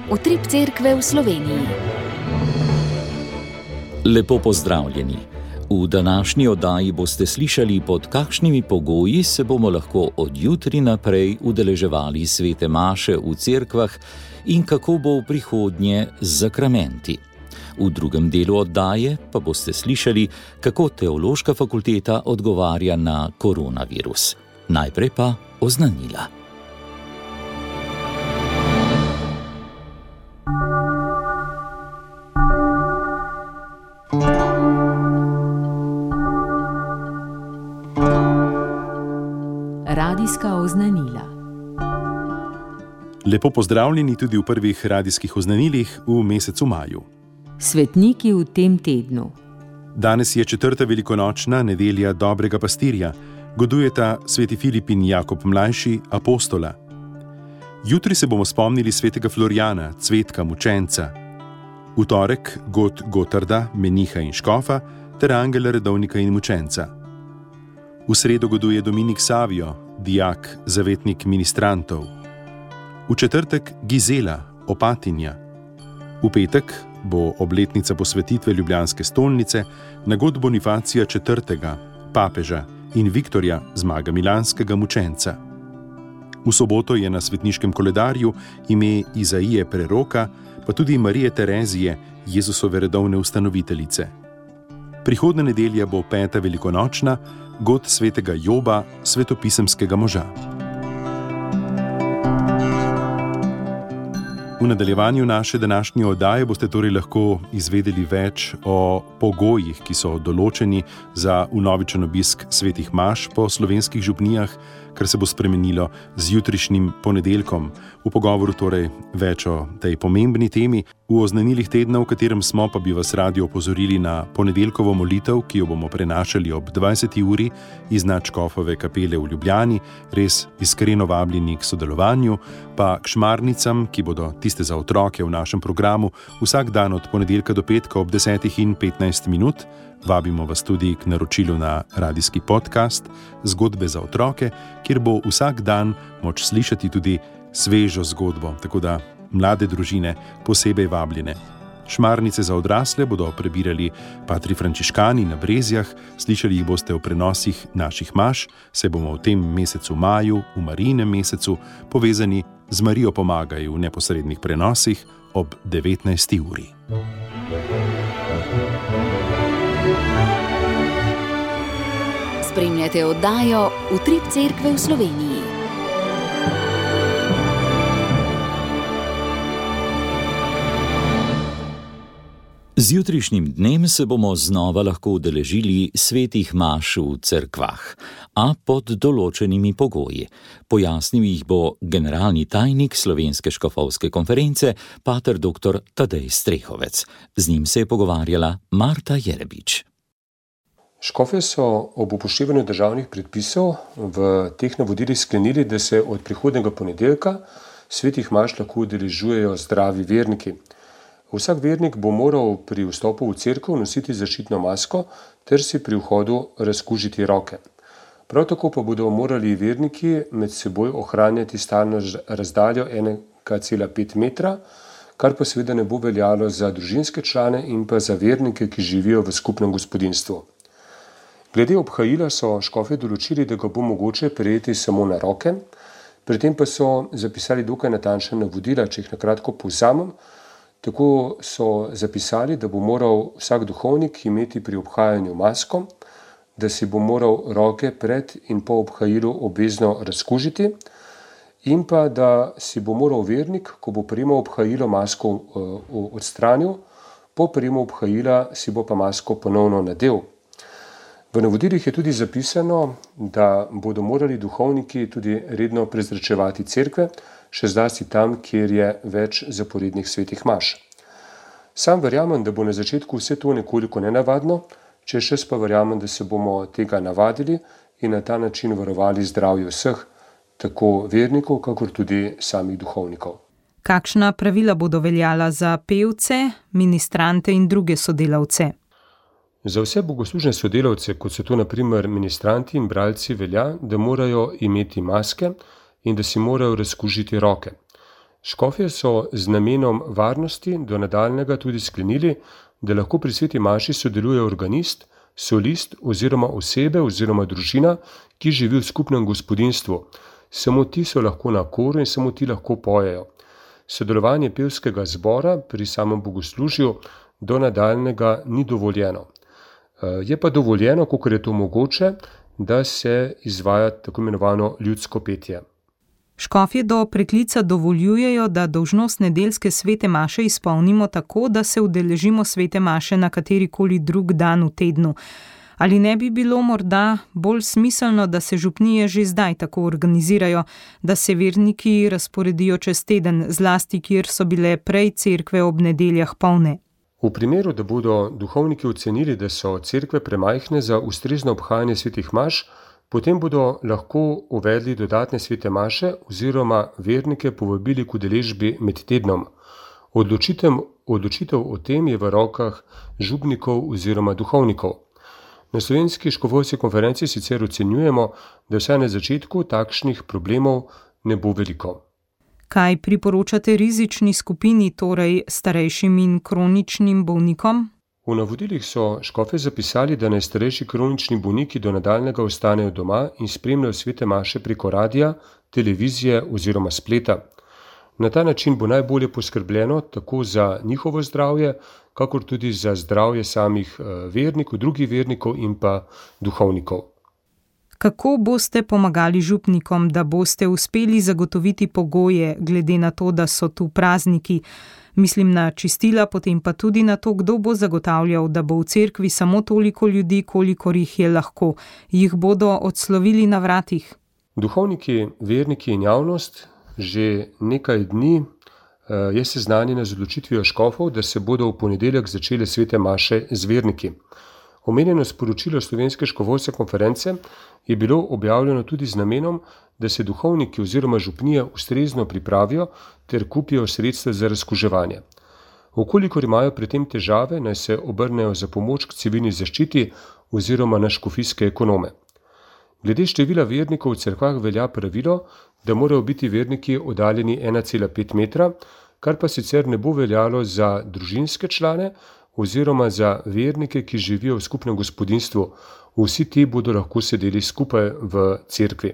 Utrip Cerkve v Sloveniji. Lepo pozdravljeni. V današnji oddaji boste slišali, pod kakšnimi pogoji se bomo lahko od jutri naprej udeleževali svete maše v cerkvah in kako bo v prihodnje z zakramenti. V drugem delu oddaje pa boste slišali, kako Teološka fakulteta odgovarja na koronavirus. Najprej pa oznanila. Radijska oznanila. Lepo pozdravljeni tudi v prvih radijskih oznanilih v mesecu maju. Svetniki v tem tednu. Danes je 4. velikonočna nedelja dobrega pastirja, godujeta sveti Filip in Jakob mlajši, apostola. Jutri se bomo spomnili svetega Florjana, cvetka mučenca. V torek Gotarda, meniha in škofa, ter angela redovnika in mučenca. V sredo goduje Dominik Savijo, dijak, zavetnik ministrantov. V četrtek Gizela, opatinja. V petek bo obletnica posvetitve Ljubljanske stolnice na god Bonifacija IV., papeža, in Viktorja, zmaga milanskega mučenca. V soboto je na svetniškem koledarju ime Izaije preroka, pa tudi Marije Terezije, Jezusove redovne ustanoviteljice. Prihodnja nedelja bo 5. velikonočna, god svetega Joba, svetopisemskega moža. V nadaljevanju naše današnje oddaje boste torej lahko izvedeli več o pogojih, ki so določeni za vnovičen obisk svetih maš po slovenskih župnijah, kar se bo spremenilo z jutrišnjim ponedeljkom. V pogovoru torej več o tej pomembni temi. V oznanilih tedna, v katerem smo, pa bi vas radi opozorili na ponedeljkovo molitev, ki jo bomo prenašali ob 20. uri iz nadškofove kapele v Ljubljani, res iskreno vabljeni k sodelovanju, pa k šmarnicam, ki bodo tiste za otroke v našem programu vsak dan od ponedeljka do petka ob 10:15. Vabimo vas tudi k naročilu na radijski podcast Zgodbe za otroke, kjer bo vsak dan moč slišati tudi svežo zgodbo, tako da mlade družine posebej vabljene. Šmarnice za odrasle bodo prebirali patri frančiškani na Brezjah, slišali jih boste v prenosih naših maš, se bomo v tem mesecu maju, v Marijinem mesecu, povezani z Marijo pomagaj v neposrednih prenosih ob 19. uri. Spremljate oddajo Utrip Cerkve v Sloveniji. Z jutrišnjim dnem se bomo znova lahko udeležili svetih maš v cerkvah, a pod določenimi pogoji. Pojasnil jih bo generalni tajnik Slovenske škofovske konference, pater dr. Tadej Strehovec. Z njim se je pogovarjala Marta Jerebič. Škofje so ob upoštevanju državnih predpisov v teh navodilih sklenili, da se od prihodnjega ponedeljka svetih maš lahko udeležujejo zdravi verniki. Vsak vernik bo moral pri vstopu v cerkev nositi zaščitno masko ter si pri vhodu razkužiti roke. Prav tako pa bodo morali verniki med seboj ohranjati stalno razdaljo 1,5 metra, kar pa seveda ne bo veljalo za družinske člane in pa za vernike, ki živijo v skupnem gospodinjstvu. Glede obhajila so škofje določili, da ga bo mogoče prejeti samo na roke, pri tem pa so zapisali dokaj natančna navodila, če jih na kratko povzamem. Tako so zapisali, da bo moral vsak duhovnik imeti pri obhajanju masko, da si bo moral roke pred in po obhajilu obvezno razkužiti in pa da si bo moral vernik, ko bo prejemal obhajilo, masko odstranil, po prejemu obhajila si bo pa masko ponovno nadel. V navodilih je tudi zapisano, da bodo morali duhovniki tudi redno prezračevati cerkve, še zlasti tam, kjer je več zaporednih svetih maš. Sam verjamem, da bo na začetku vse to nekoliko nenavadno, če še pa verjamem, da se bomo tega navadili in na ta način varovali zdravje vseh, tako vernikov, kakor tudi samih duhovnikov. Kakšna pravila bodo veljala za pevce, ministrante in druge sodelavce? Za vse bogoslužne sodelavce, kot so to na primer ministranti in bralci, velja, da morajo imeti maske in da si morajo razkužiti roke. Škofje so z namenom varnosti do nadaljnjega tudi sklenili, da lahko pri sveti maši sodeluje organist, solist oziroma osebe oziroma družina, ki živi v skupnem gospodinjstvu. Samo ti so lahko na koru in samo ti lahko pojejo. Sodelovanje pevskega zbora pri samem bogoslužju do nadaljnjega ni dovoljeno. Je pa dovoljeno, kolikor je to mogoče, da se izvaja tako imenovano ljudsko petje. Škofje do preklica dovoljujejo, da dolžnost nedeljske svete maše izpolnimo tako, da se udeležimo svete maše na katerikoli drug dan v tednu. Ali ne bi bilo morda bolj smiselno, da se župnije že zdaj tako organizirajo, da se verniki razporedijo čez teden, zlasti kjer so bile prej cerkve ob nedeljah polne? V primeru, da bodo duhovniki ocenili, da so cerkve premajhne za ustrezno obhajanje svetih maš, potem bodo lahko uvedli dodatne svete maše oziroma vernike povabili k udeležbi med tednom. Odločitev o tem je v rokah župnikov oziroma duhovnikov. Na Slovenski škofovski konferenci sicer ocenjujemo, da vsaj na začetku takšnih problemov ne bo veliko. Kaj priporočate rizični skupini, torej starejšim in kroničnim bolnikom? V navodilih so škofje zapisali, da naj starejši kronični bolniki do nadaljnjega ostanejo doma in spremljajo svete maše preko radia, televizije oziroma spleta. Na ta način bo najbolje poskrbljeno tako za njihovo zdravje, kakor tudi za zdravje samih vernikov, drugih vernikov in pa duhovnikov. Kako boste pomagali župnikom, da boste uspeli zagotoviti pogoje, glede na to, da so tu prazniki? Mislim na čistila, potem pa tudi na to, kdo bo zagotavljal, da bo v cerkvi samo toliko ljudi, kolikor jih je lahko. Jih bodo odslovili na vratih? Duhovniki, verniki in javnost že nekaj dni je seznanjena z odločitvijo škofov, da se bodo v ponedeljek začele svete maše z verniki. Omenjeno sporočilo Slovenske škofovske konference je bilo objavljeno tudi z namenom, da se duhovniki oziroma župnije ustrezno pripravijo ter kupijo sredstva za razkuževanje. Vkolikor imajo pri tem težave, naj se obrnejo za pomoč k civilni zaščiti oziroma na škofijske ekonome. Glede števila vernikov v cerkvah velja pravilo, da morajo biti verniki oddaljeni 1,5 metra, kar pa sicer ne bo veljalo za družinske člane oziroma za vernike, ki živijo v skupnem gospodinjstvu. Vsi ti bodo lahko sedeli skupaj v cerkvi.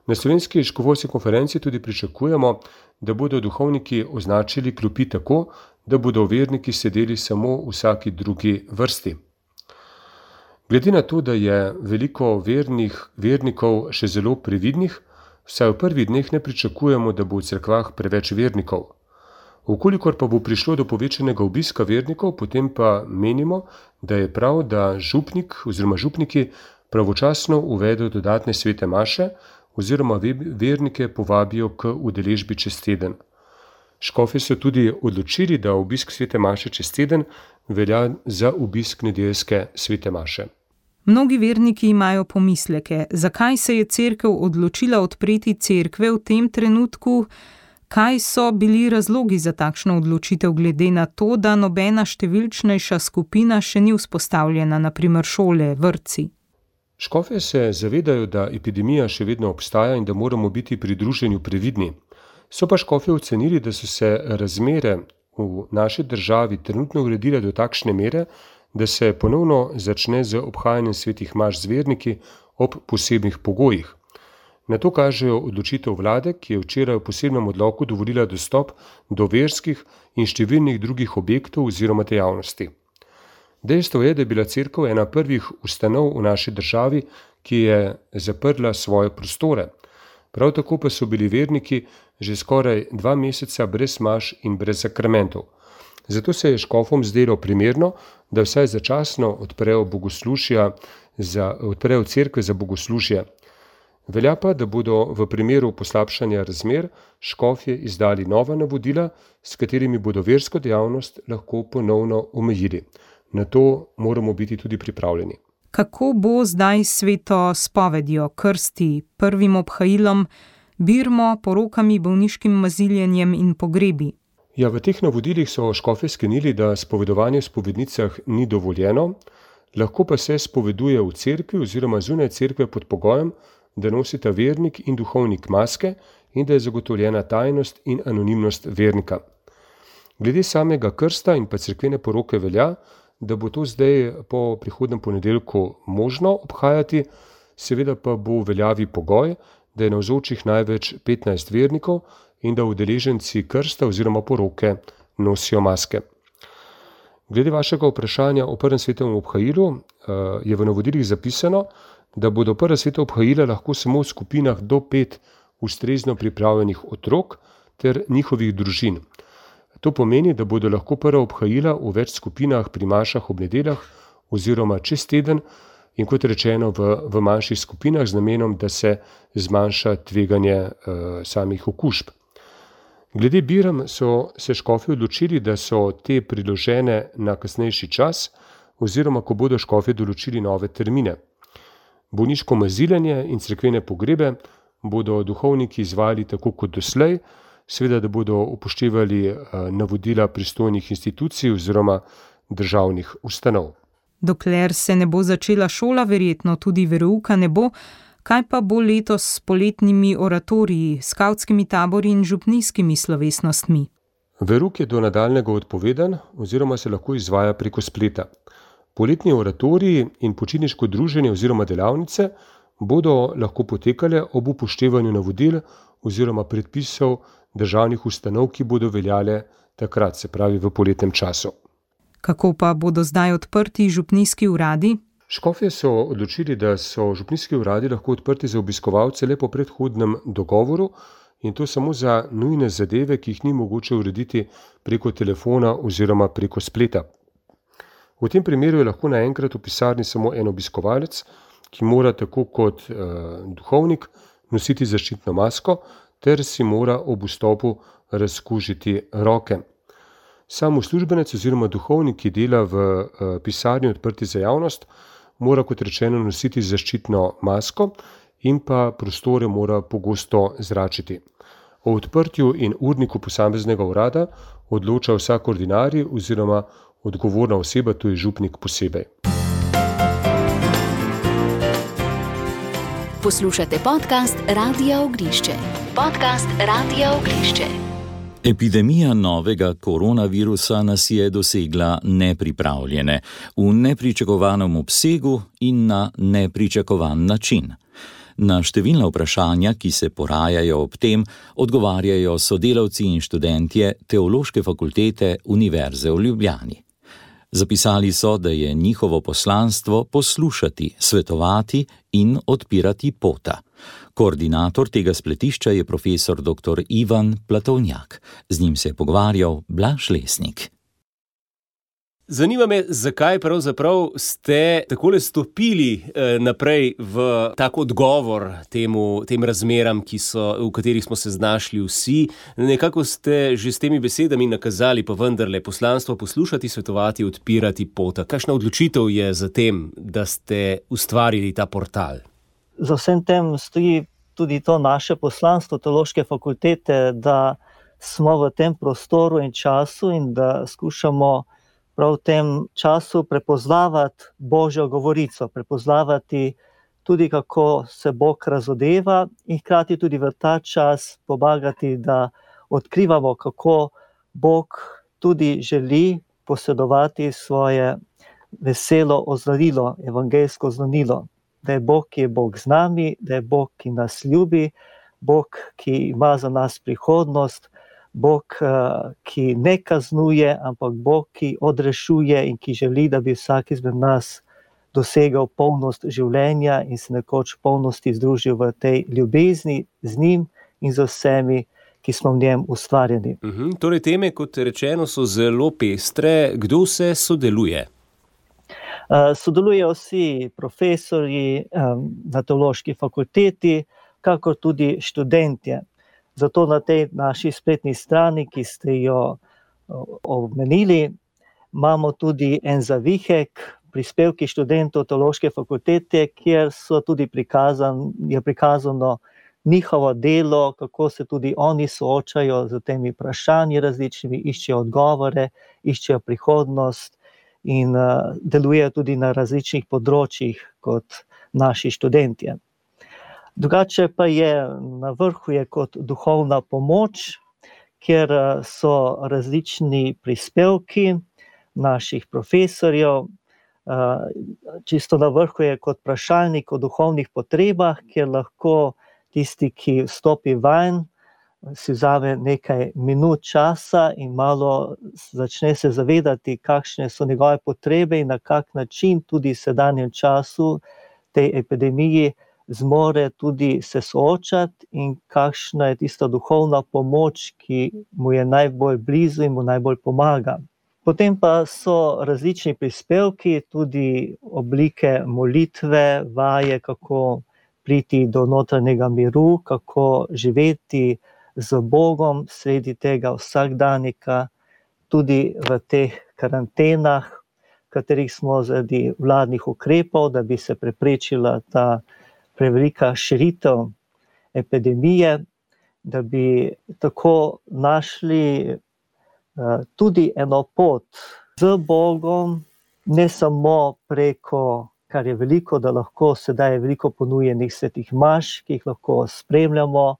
Na Slovenski škofovski konferenci tudi pričakujemo, da bodo duhovniki označili klopi tako, da bodo verniki sedeli samo v vsaki drugi vrsti. Glede na to, da je veliko vernikov še zelo previdnih, vsaj v prvih dneh ne pričakujemo, da bo v cerkvah preveč vernikov. Vkolikor pa bo prišlo do povečanega obiska vernikov, potem pa menimo, da je prav, da župnik oziroma župniki pravočasno uvedejo dodatne svete maše oziroma vernike povabijo k udeležbi čez teden. Škofje so tudi odločili, da obisk svete maše čez teden velja za obisk nedeljske svete maše. Mnogi verniki imajo pomisleke, zakaj se je cerkev odločila odpreti cerkve v tem trenutku. Kaj so bili razlogi za takšno odločitev glede na to, da nobena številčnejša skupina še ni vzpostavljena, naprimer šole, vrtci? Škofje se zavedajo, da epidemija še vedno obstaja in da moramo biti pri druženju previdni. So pa škofje ocenili, da so se razmere v naši državi trenutno uredile do takšne mere, da se ponovno začne z obhajanjem svetih maš z verniki ob posebnih pogojih. Na to kažejo odločitev vlade, ki je včeraj v posebnem odloku dovolila dostop do verskih in številnih drugih objektov oziroma dejavnosti. Dejstvo je, da je bila cerkev ena prvih ustanov v naši državi, ki je zaprla svoje prostore. Prav tako pa so bili verniki že skoraj 2 meseca brez maš in brez sakramentov. Zato se je škofom zdelo primerno, da vsaj začasno odprejo cerkve za bogoslužje. Velja pa, da bodo v primeru poslabšanja razmer škofje izdali nova navodila, s katerimi bodo versko dejavnost lahko ponovno omejili. Na to moramo biti tudi pripravljeni. Kako bo zdaj s sveto spovedjo, krsti, prvim obhajilom, birmo, porokami, bolniškim maziljenjem in pogrebi? Ja, v teh navodilih so škofje sklenili, da spovedovanje v spovednicah ni dovoljeno, lahko pa se spoveduje v cerkvi oziroma zunaj cerkve pod pogojem, da nosita vernik in duhovnik maske in da je zagotovljena tajnost in anonimnost vernika. Glede samega krsta in pa cerkvene poroke velja, da bo to zdaj po prihodnem ponedeljku možno obhajati, seveda pa bo v veljavi pogoj, da je navzočih največ 15 vernikov in da udeleženci krsta oziroma poroke nosijo maske. Glede vašega vprašanja o prvem svetovnem obhajilu je v navodilih zapisano, da bodo prva sveta obhajila lahko samo v skupinah do 5 ustrezno pripravljenih otrok ter njihovih družin. To pomeni, da bodo lahko prva obhajila v več skupinah pri mašah ob nedeljah oziroma čez teden in kot rečeno v manjših skupinah z namenom, da se zmanjša tveganje samih okužb. Glede birem so se škofje odločili, da so te priložene na kasnejši čas oziroma ko bodo škofje določili nove termine. Bolniško maziljenje in cerkvene pogrebe bodo duhovniki izvajali tako kot doslej, seveda da bodo upoštevali navodila pristojnih institucij oziroma državnih ustanov. Dokler se ne bo začela šola, verjetno tudi verouka ne bo. Kaj pa bo letos s poletnimi oratoriji, skavtskimi tabori in župnijskimi slovesnostmi? Verouk je do nadaljnjega odpovedan oziroma se lahko izvaja preko spleta. Poletni oratoriji in počitniško druženje oziroma delavnice bodo lahko potekale ob upoštevanju navodil oziroma predpisov državnih ustanov, ki bodo veljale takrat, se pravi v poletnem času. Kako pa bodo zdaj odprti župnijski uradi? Škofje so odločili, da so župnijski uradi lahko odprti za obiskovalce le po predhodnem dogovoru in to samo za nujne zadeve, ki jih ni mogoče urediti preko telefona oziroma preko spleta. V tem primeru je lahko naenkrat v pisarni samo en obiskovalec, ki mora tako kot duhovnik nositi zaščitno masko ter si mora ob vstopu razkužiti roke. Sam uslužbenec oziroma duhovnik, ki dela v pisarni odprti za javnost, mora kot rečeno nositi zaščitno masko in pa prostore mora pogosto zračiti. O odprtju in urniku posameznega urada odloča vsak ordinarij oziroma odgovorna oseba, to je župnik posebej. Poslušate podcast Radia Ognišče. Podcast Radia Ognišče. Epidemija novega koronavirusa nas je dosegla nepripravljene, v nepričakovanem obsegu in na nepričakovan način. Na številna vprašanja, ki se porajajo ob tem, odgovarjajo sodelavci in študentje Teološke fakultete Univerze v Ljubljani. Zapisali so, da je njihovo poslanstvo poslušati, svetovati in odpirati pota. Koordinator tega spletišča je profesor dr. Ivan Platovnjak. Z njim se je pogovarjal Blaž Lesnik. Zanima me, zakaj pravzaprav ste takole stopili naprej v tak odgovor tem razmeram, v katerih smo se znašli vsi. Nekako ste že s temi besedami nakazali pa vendarle poslanstvo poslušati, svetovati, odpirati pota. Kakšna odločitev je za tem, da ste ustvarili ta portal? Za vsem tem stoji tudi to naše poslanstvo Teološke fakultete, da smo v tem prostoru in času in da skušamo prav v tem času prepoznavati Božjo govorico, prepoznavati tudi, kako se Bog razodeva in hkrati tudi v ta čas pomagati, da odkrivamo, kako Bog tudi želi posedovati svoje veselo oznanilo, evangeljsko oznanilo. Da je Bog, ki je Bog z nami, da je Bog, ki nas ljubi, Bog, ki ima za nas prihodnost, Bog, ki ne kaznuje, ampak Bog, ki odrešuje in ki želi, da bi vsak izmed nas dosegal polnost življenja in se nekoč v polnosti združil v tej ljubezni z njim in z vsemi, ki smo v njem ustvarjeni. Torej teme, kot rečeno, so zelo pestre. Kdo vse sodeluje? Sodelujejo vsi profesorji na Teološki fakulteti, kakor tudi študentje. Zato na tej naši spletni strani, ki ste jo omenili, imamo tudi en zavihek, prispevki študentov Teološke fakultete, kjer so tudi je prikazano njihovo delo, kako se tudi oni soočajo z temi vprašanji različnimi, iščejo odgovore, iščejo prihodnost in delujejo tudi na različnih področjih kot naši študentje. Drugače pa je na vrhu je kot duhovna pomoč, kjer so različni prispevki naših profesorjev. Čisto na vrhu je kot vprašalnik o duhovnih potrebah, kjer lahko tisti, ki vstopi vanj, si vzame nekaj minut časa in malo začne se zavedati, kakšne so njegove potrebe in na kak način tudi v sedanjem času tej epidemiji zmore tudi se soočati in kakšna je tista duhovna pomoč, ki mu je najbolj blizu in mu najbolj pomaga. Potem pa so različni prispevki, tudi oblike molitve, vaje, kako priti do notranjega miru, kako živeti z Bogom sredi tega vsakdanika, tudi v teh karantenah, katerih smo zaradi vladnih ukrepov, da bi se preprečila ta prevelika širitev epidemije, da bi tako našli tudi eno pot z Bogom, ne samo preko, kar je veliko, da lahko sedaj je veliko ponujenih svetih maš, ki jih lahko spremljamo,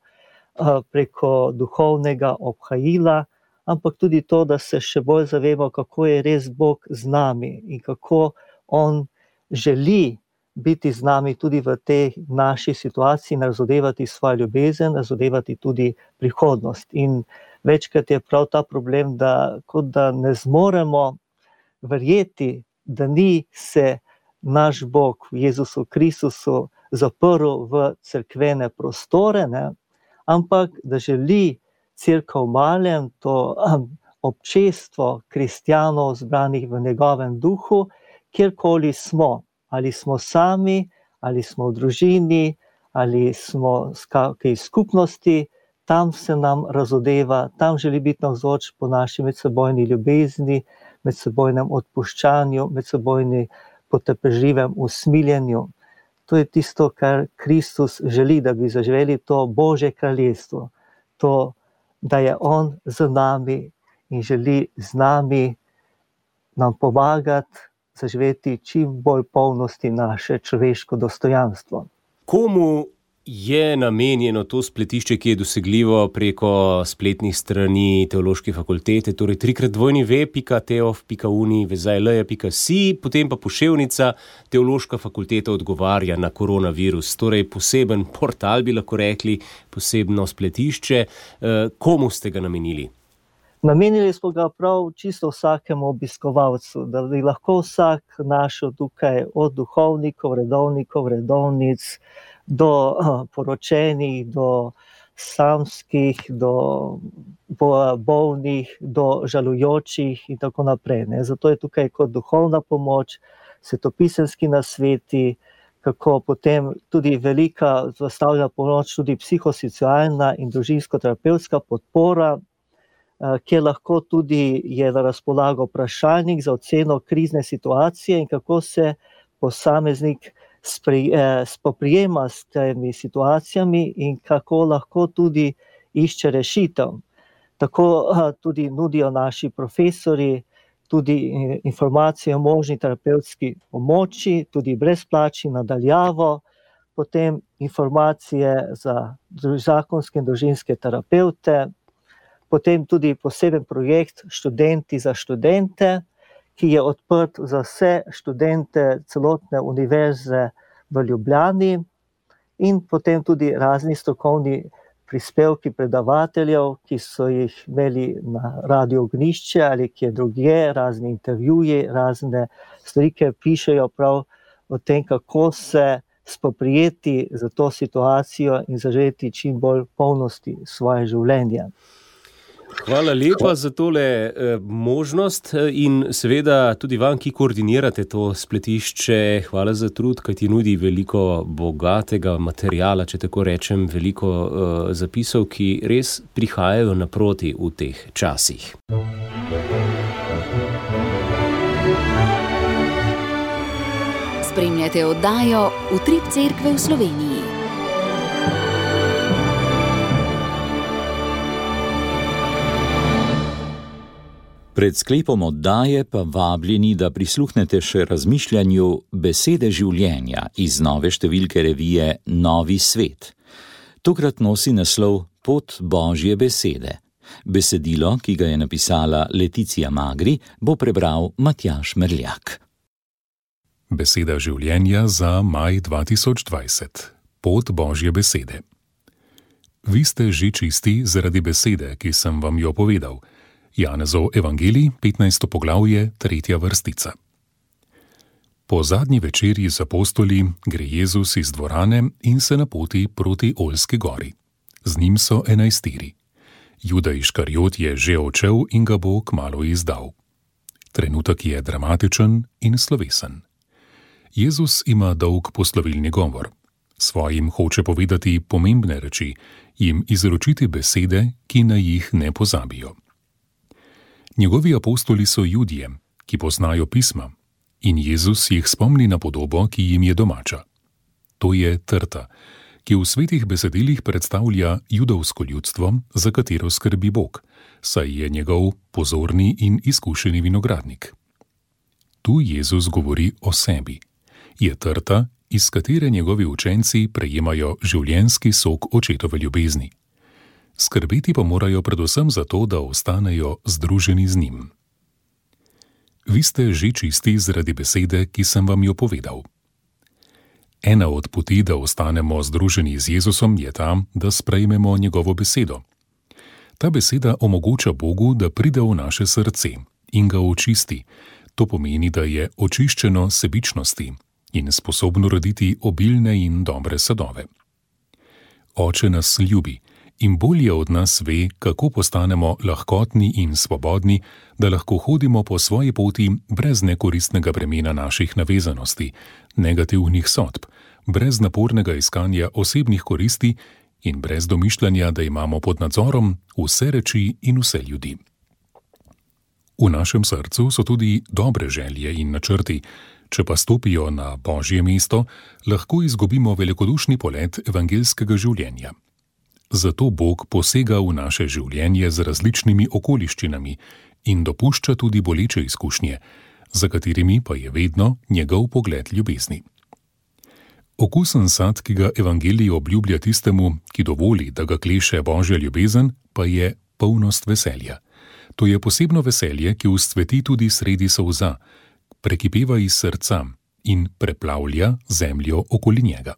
preko duhovnega obhajila, ampak tudi to, da se še bolj zavemo, kako je res Bog z nami in kako on želi biti z nami tudi v tej naši situaciji, razodevati svojo ljubezen, razodevati tudi prihodnost. In večkrat je prav ta problem, da kot da ne zmoremo verjeti, da ni se naš Bog v Jezusu Kristusu zaprl v cerkvene prostore, ne? Ampak da želi Cerkev Malem, to občestvo kristjanov zbranih v njegovem duhu, kjerkoli smo, ali smo sami, ali smo v družini, ali smo v kakšni skupnosti, tam se nam razodeva, tam želi biti navzoč po naši medsebojni ljubezni, medsebojnem odpuščanju, medsebojni potrpežljivem usmiljenju. To je tisto, kar Kristus želi, da bi zaživeli to Božje kraljestvo, to, da je on z nami in želi z nami nam pomagati zaživeti čim bolj polnosti naše človeško dostojanstvo. Komu je namenjeno to spletišče, ki je dosegljivo preko spletnih strani Teološke fakultete, torej 3x2.teof.uni/vezajl.si, potem pa poševnica Teološka fakulteta odgovarja na koronavirus, torej poseben portal, bi lahko rekli, posebno spletišče. Komu ste ga namenili? Namenili smo ga prav čisto vsakemu obiskovalcu, da bi lahko vsak našel tukaj od duhovnikov, redovnic, do poročenih, do samskih, do bolnih, do žalujočih in tako naprej. Zato je tukaj kot duhovna pomoč, svetopisemski nasveti, kako potem tudi velika zastavljena pomoč, tudi psihosocialna in družinsko-terapevtska podpora, kjer lahko tudi je na razpolago vprašalnik za oceno krizne situacije in kako se posameznik spoprijema s temi situacijami in kako lahko tudi išče rešitev. Tako tudi nudijo naši profesori tudi informacije o možni terapevtski pomoči, tudi brezplačni nadaljavo, potem informacije za zakonske in družinske terapevte, potem tudi poseben projekt Študenti za študente, ki je odprt za vse študente celotne univerze v Ljubljani, in potem tudi razni strokovni prispevki predavateljev, ki so jih imeli na Radiu Ognjišče ali kje drugje, razni intervjuji, razne stvari, ki pišejo prav o tem, kako se spoprijeti za to situacijo in zaživeti čim bolj polnosti svoje življenje. Hvala lepa za tole možnost in seveda tudi vam, ki koordinirate to spletišče, hvala za trud, kaj ti nudi veliko bogatega materiala, če tako rečem, veliko zapisov, ki res prihajajo naproti v teh časih. Spremljate oddajo Utrip Cerkve v Sloveniji. Pred sklepom oddaje pa vabljeni, da prisluhnete še razmišljanju Besede življenja iz nove številke revije Novi svet. Tokrat nosi naslov Pot Božje besede. Besedilo, ki ga je napisala Leticija Magri, bo prebral Matjaž Merljak. Beseda življenja za maj 2020. Pot Božje besede. Vi ste že čisti zaradi besede, ki sem vam jo povedal. Janezov evangelij, 15. poglavje, 3. vrstica. Po zadnji večerji z apostoli gre Jezus iz dvorane in se napoti proti Oljski gori. Z njim so 11. Juda Iškariot je že odšel in ga bo kmalu izdal. Trenutek je dramatičen in slovesen. Jezus ima dolg poslovilni govor. Svojim hoče povedati pomembne reči, jim izročiti besede, ki na jih ne pozabijo. Njegovi apostoli so Judje, ki poznajo pisma, in Jezus jih spomni na podobo, ki jim je domača. To je trta, ki v svetih besedilih predstavlja judovsko ljudstvo, za katero skrbi Bog, saj je njegov pozorni in izkušeni vinogradnik. Tu Jezus govori o sebi. Je trta, iz katere njegovi učenci prejemajo življenjski sok očetove ljubezni. Skrbeti pa morajo predvsem za to, da ostanejo združeni z njim. Vi ste že čisti zaradi besede, ki sem vam jo povedal. Ena od poti, da ostanemo združeni z Jezusom, je ta, da sprejmemo njegovo besedo. Ta beseda omogoča Bogu, da pride v naše srce in ga očisti. To pomeni, da je očiščeno sebičnosti in sposobno roditi obilne in dobre sadove. Oče nas ljubi in bolje od nas ve, kako postanemo lahkotni in svobodni, da lahko hodimo po svoji poti brez nekoristnega bremena naših navezanosti, negativnih sodb, brez napornega iskanja osebnih koristi in brez domišljanja, da imamo pod nadzorom vse reči in vse ljudi. V našem srcu so tudi dobre želje in načrti. Če pa stopijo na Božje mesto, lahko izgubimo velikodušni polet evangeljskega življenja. Zato Bog posega v naše življenje z različnimi okoliščinami in dopušča tudi boleče izkušnje, za katerimi pa je vedno njegov pogled ljubezni. Okusen sad, ki ga evangelij obljublja tistemu, ki dovoli, da ga kleše Božja ljubezen, pa je polnost veselja. To je posebno veselje, ki vzcveti tudi sredi solza, prekipeva iz srca in preplavlja zemljo okoli njega.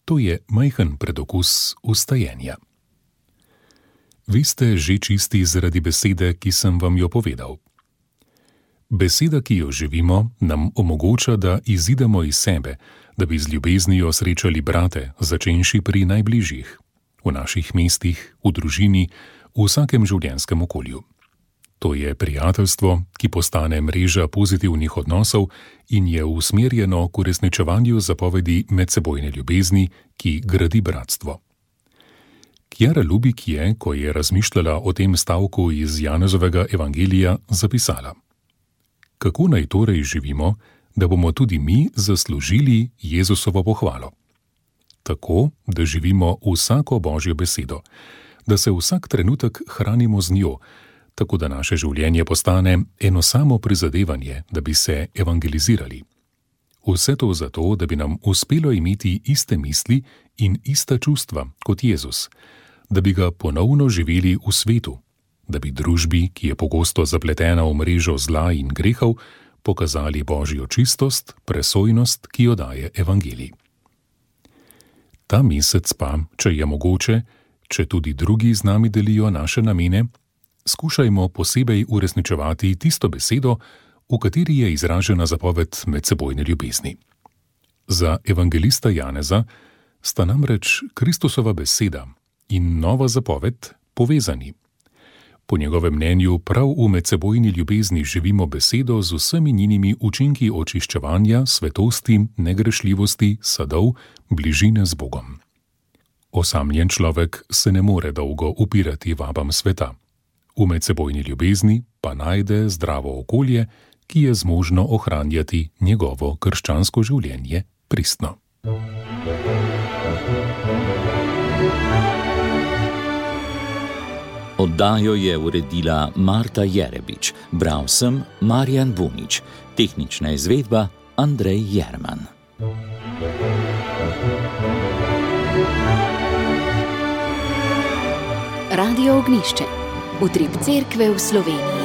To je majhen predokus ustajenja. Vi ste že čisti zaradi besede, ki sem vam jo povedal. Beseda, ki jo živimo, nam omogoča, da izidemo iz sebe, da bi z ljubeznijo srečali brate, začenši pri najbližjih, v naših mestih, v družini, v vsakem življenjskem okolju. To je prijateljstvo, ki postane mreža pozitivnih odnosov in je usmerjeno k uresničevanju zapovedi medsebojne ljubezni, ki gradi bratstvo. Kjara Lubik je, ko je razmišljala o tem stavku iz Janezovega evangelija, zapisala: Kako naj torej živimo, da bomo tudi mi zaslužili Jezusovo pohvalo? Tako, da živimo vsako Božjo besedo, da se vsak trenutek hranimo z njo, tako da naše življenje postane eno samo prizadevanje, da bi se evangelizirali. Vse to zato, da bi nam uspelo imeti iste misli in ista čustva kot Jezus, da bi ga ponovno živeli v svetu, da bi družbi, ki je pogosto zapletena v mrežo zla in grehov, pokazali Božjo čistost, presojnost, ki jo daje evangelij. Ta mesec pa, če je mogoče, če tudi drugi z nami delijo naše namene, skušajmo posebej uresničevati tisto besedo, v kateri je izražena zapoved medsebojne ljubezni. Za evangelista Janeza sta namreč Kristusova beseda in nova zapoved povezani. Po njegovem mnenju prav v medsebojni ljubezni živimo besedo z vsemi njenimi učinki očiščevanja, svetosti, negrešljivosti, sadov, bližine z Bogom. Osamljen človek se ne more dolgo upirati vabam sveta. V medsebojni ljubezni pa najde zdravo okolje, ki je zmožno ohranjati njegovo krščansko življenje pristno. Oddajo je uredila Marta Jerebič, bral sem Marjan Bunič, tehnična izvedba Andrej Jerman. Radio Ognjišče, utrip Cerkve v Sloveniji.